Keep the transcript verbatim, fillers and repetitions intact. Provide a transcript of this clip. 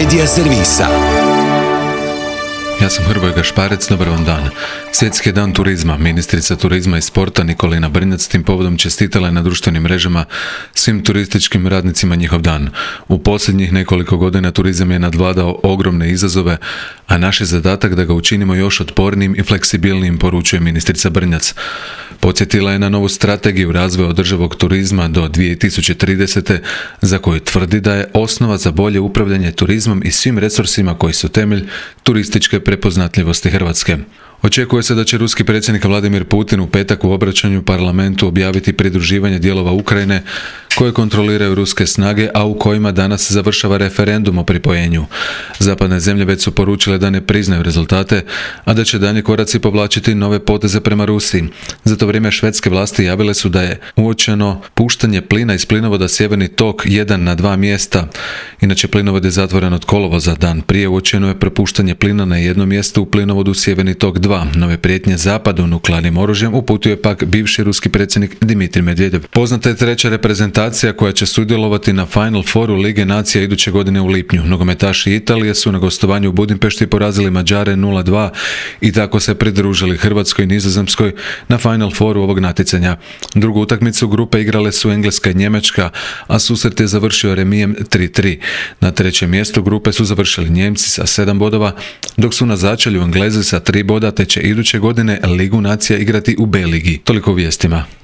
Media servisa. Ja sam Hrvoje Gašparec, dobar vam dan. Svjetski je dan turizma. Ministrica turizma i sporta Nikolina Brnjac tim povodom čestitala je na društvenim mrežama svim turističkim radnicima njihov dan. U posljednjih nekoliko godina turizam je nadvladao ogromne izazove, a naš je zadatak da ga učinimo još otpornijim i fleksibilnijim, poručuje ministrica Brnjac. Podsjetila je na novu strategiju razvoja održivog turizma do dvije tisuće tridesete za koju tvrdi da je osnova za bolje upravljanje turizmom i svim resursima koji su temelj turističke prepoznatljivosti Hrvatske. Očekuje se da će ruski predsjednik Vladimir Putin u petak u obraćanju parlamentu objaviti pridruživanje dijelova Ukrajine koje kontroliraju ruske snage, a u kojima danas završava referendum o pripojenju. Zapadne zemlje već su poručile da ne priznaju rezultate, a da će daljnji koraci povlačiti nove poteze prema Rusiji. Za to vrijeme švedske vlasti javile su da je uočeno puštanje plina iz plinovoda Sjeverni tok jedan na dva mjesta. Inače, plinovod je zatvoren od kolovoza. Dan prije uočeno je propuštanje plina na jednom mjestu u plinovodu Sjeverni tok dva. Nove prijetnje zapadu nuklearnim oružjem uputio pak bivši ruski predsjednik Dimitrij Medvedev. Poznata je treća reprezentacija koja će sudjelovati na Final Fouru Lige nacija iduće godine u lipnju. Nogometaši Italije su na gostovanju u Budimpešti porazili Mađare nula dva i tako se pridružili Hrvatskoj i Nizozemskoj na Final Fouru ovog natjecanja. Drugu utakmicu grupe igrale su Engleska i Njemačka, a susret je završio remijem tri tri. Na trećem mjestu grupe su završili Njemci sa sedam bodova, dok su na začelju Englezi sa tri boda, te će iduće godine Ligu nacija igrati u B ligi. Toliko u vijestima.